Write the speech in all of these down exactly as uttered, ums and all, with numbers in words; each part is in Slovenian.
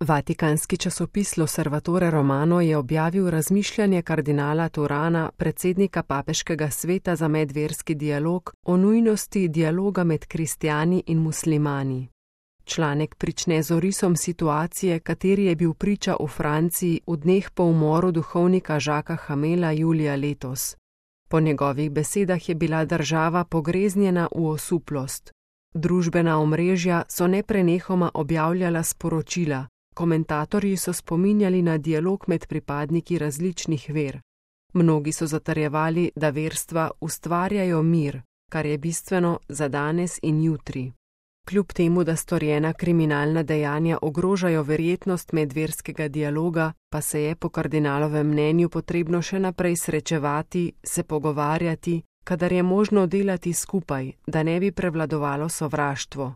Vatikanski časopis L'Osservatore Romano je objavil razmišljanje kardinala Turana, predsednika Papeškega sveta za medverski dialog, o nujnosti dialoga med kristjani in muslimani. Članek prične z orisom situacije, kateri je bil priča v Franciji v dneh po umoru duhovnika Jacquesa Hamela julija letos. Po njegovih besedah je bila država pogreznjena v osuplost. Družbena omrežja so neprenehoma objavljala sporočila, komentatorji so spominjali na dialog med pripadniki različnih ver. Mnogi so zatrjevali, da verstva ustvarjajo mir, kar je bistveno za danes in jutri. Kljub temu, da storjena kriminalna dejanja ogrožajo verjetnost medverskega dialoga, pa se je po kardinalovem mnenju potrebno še naprej srečevati, se pogovarjati, kadar je možno delati skupaj, da ne bi prevladovalo sovraštvo.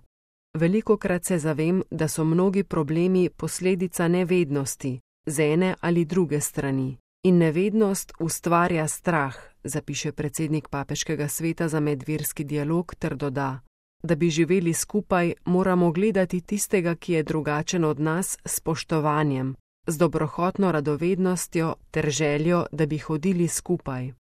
Velikokrat se zavem, da so mnogi problemi posledica nevednosti, z ene ali druge strani. In nevednost ustvarja strah, zapiše predsednik Papeškega sveta za medverski dialog ter doda: da bi živeli skupaj, moramo gledati tistega, ki je drugačen od nas, s spoštovanjem, z dobrohotno radovednostjo ter željo, da bi hodili skupaj.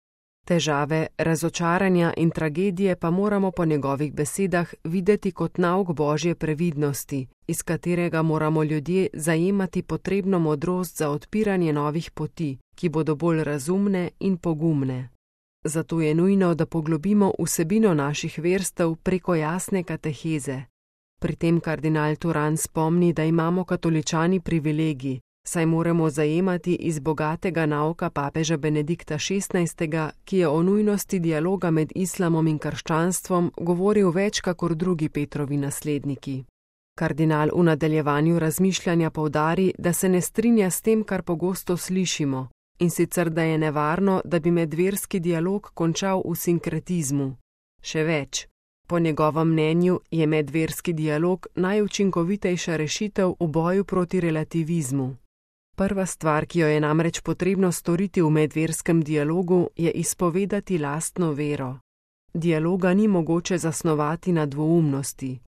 Težave, razočaranja in tragedije pa moramo po njegovih besedah videti kot nauk Božje previdnosti, iz katerega moramo ljudje zajemati potrebno modrost za odpiranje novih poti, ki bodo bolj razumne in pogumne. Zato je nujno, da poglobimo vsebino naših verstev preko jasne kateheze. Pri tem kardinal Turan spomni, da imamo katoličani privilegij, saj moramo zajemati iz bogatega nauka papeža Benedikta šestnajstega, ki je o nujnosti dialoga med islamom in krščanstvom govoril več kakor drugi Petrovi nasledniki. Kardinal v nadaljevanju razmišljanja poudari, da se ne strinja s tem, kar pogosto slišimo, in sicer da je nevarno, da bi medverski dialog končal v sinkretizmu. Še več. Po njegovem mnenju je medverski dialog najučinkovitejša rešitev v boju proti relativizmu. Prva stvar, ki jo je namreč potrebno storiti v medverskem dialogu, je izpovedati lastno vero. Dialoga ni mogoče zasnovati na dvoumnosti.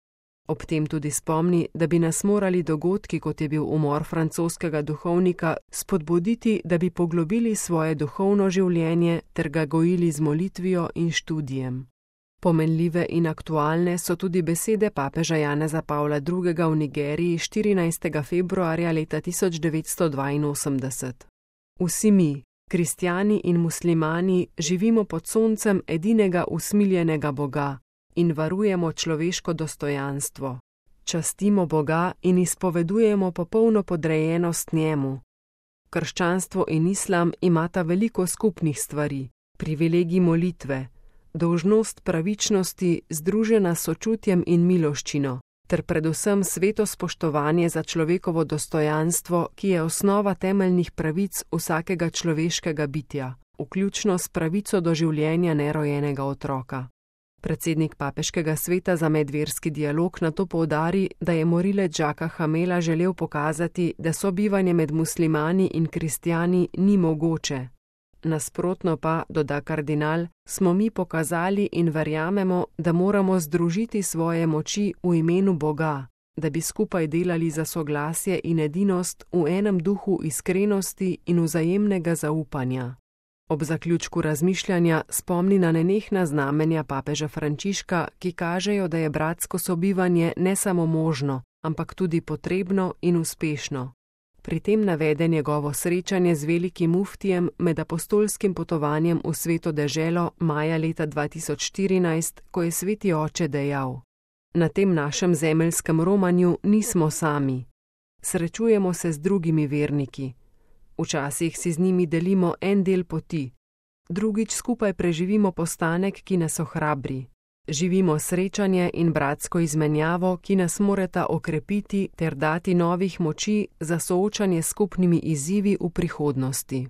Ob tem tudi spomni, da bi nas morali dogodki, kot je bil umor francoskega duhovnika, spodbuditi, da bi poglobili svoje duhovno življenje ter ga gojili z molitvijo in študijem. Pomenljive in aktualne so tudi besede papeža Janeza Pavla drugega v Nigeriji štirinajstega februarja leta tisoč devetsto dvainosemdeset. Vsi mi, kristjani in muslimani, živimo pod soncem edinega usmiljenega Boga in varujemo človeško dostojanstvo. Častimo Boga in izpovedujemo popolno podrejenost njemu. Krščanstvo in islam imata veliko skupnih stvari, privilegij molitve, dolžnost pravičnosti združena s sočutjem in miloščino, ter predvsem sveto spoštovanje za človekovo dostojanstvo, ki je osnova temeljnih pravic vsakega človeškega bitja, vključno s pravico do življenja nerojenega otroka. Predsednik Papeškega sveta za medverski dialog nato poudari, da je morilec Jacquesa Hamela želel pokazati, da sobivanje med muslimani in kristjani ni mogoče. Nasprotno pa, doda kardinal, smo mi pokazali in verjamemo, da moramo združiti svoje moči v imenu Boga, da bi skupaj delali za soglasje in edinost v enem duhu iskrenosti in vzajemnega zaupanja. Ob zaključku razmišljanja spomni na nenehna znamenja papeža Frančiška, ki kažejo, da je bratsko sobivanje ne samo možno, ampak tudi potrebno in uspešno. Pri tem navede njegovo srečanje z velikim muftijem med apostolskim potovanjem v Sveto deželo maja leta dva tisoč štirinajst, ko je sveti oče dejal: na tem našem zemeljskem romanju nismo sami. Srečujemo se z drugimi verniki. Včasih si z njimi delimo en del poti. Drugič skupaj preživimo postanek, ki nas ohrabri. Živimo srečanje in bratsko izmenjavo, ki nas morata okrepiti ter dati novih moči za soočanje s skupnimi izzivi v prihodnosti.